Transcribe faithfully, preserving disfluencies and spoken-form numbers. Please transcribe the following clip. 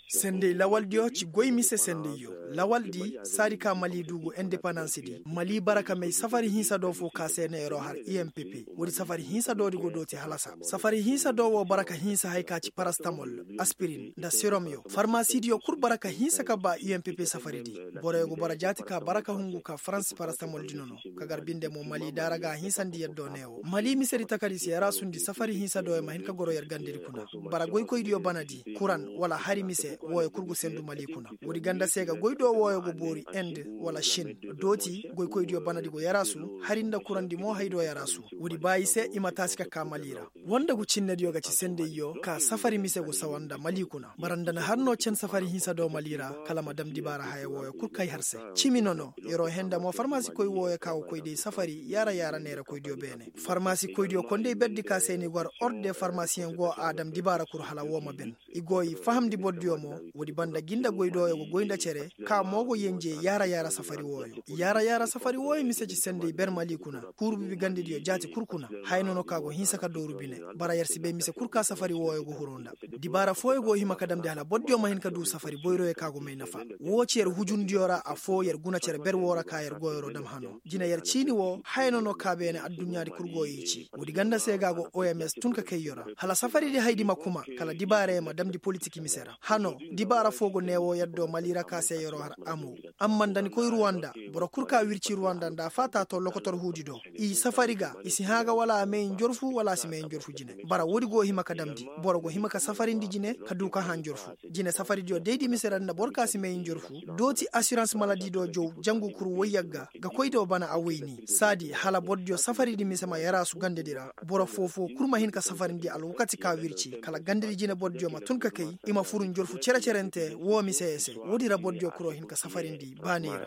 Sendey lawaldiyo ci goy mise sendeyyo. Lawaldi saadi ka mali du go indepandans di mali bara ka may safari hinsa do fo ka se na yer'o har umpp. Woodi safari hinsa do di go dooti halasa safari hinsa do wo bara ka hinsa haya ka ci parastamol, aspirin nda siromyo farmasidiyo kul bara ka hinsa ka ba umpp safari di. Boroyo go bara jaati ka bara ka hungu ka farans parastamol di nono. Ka gar binde mo mali daara ga a hinsandi yaddo ne wo mali misedi takadi se yaraasundi safari hinsa do ya ma hin ka goro yer gandedi kuna. Bara goykoydiyo banadi kuran wala hari mise wooyo kul go sendu mali kuna. Woodi ganda se ga goy do wooyo go boori ind wala shin. Dooti goykoydiyo banadi go yaraasu hari nda kurandi mo hay do yaraasu. Woodi baayi se i ma taasi ka kaa mali ra. Wonda gu cinnediyo ga ci sendeyyo ka safari mise go sawa nda mali kuna bara nda na har no cen safari hinsa do mali ra. Kala ma dam dibaara haya wooyo kul kay har se. Cimi nono yer'o henda mo farmasikoy wooyo ka go koy day safari yaara yaara neerakoydiyo beene. Farmasikoydiyo kondey berdi ka se ni go har orde farmasiyeŋ go a dam dibaara kul hala woo ma ben. I go i fahamndi bordiyo mo. Woodi banda gi nda goydooyo go goy nda cere ka mo go yenje yaara yaara safari wooyo. Yaara yaara safari wooyo mise ci sendey ber mali kuna. Kuuru bibi gandediyo jaati kul kuna. Haya nono ka go hinsa ka dooru bine. Bara yer si bay mise kul ka safari wooyo go huru nda. Dibaara fooyo go hima ka damndi hala bordiyo ma hin ka duu safari boyroyo ka go may nafa. Woo ci yer hujundiyo ra affoo yer guna cere ber woo ra ka yer go yer'o dam hano jine yer ciini woo haya nono ka beene adduɲɲaadi kul go i ci. Woodi ganda se ga go oms tun ka kayyo ra hala safaridi haydi ma kuma. Kala dibaarey ma damndi politik mise ra hano. Dibaara foo go neewoo yaddo mali ra ka se yer'o har amu. Amma nda ni koy ruwanda boro kul ka wirci ruwanda nda a faata to lokotor huudi do. I safari ga i si hã ga wala a may njorfu wala a si may njorfu jine. Bara woodi go hima ka damndi boro go hima ka safarindi jine ka duu ka hã njorfu. Jine safaridiyo daydi mise ra nda boro ka si may njorfu. Dooti asirans maladi do jaw jangu kul woy yagga ga koy do bana a woyni saadi hala bordiyo safaridi mise ma yaraasu gandedi ra. Boro foo-foo kul ma hin ka safarindi alwakati ka wirci kala gandedi jine bordiyo ma tun ka kay. I ma fur njorfu cere-cerente woo miseye se woodi ra bordiyo kuloo hin ka safarindi baaney ra.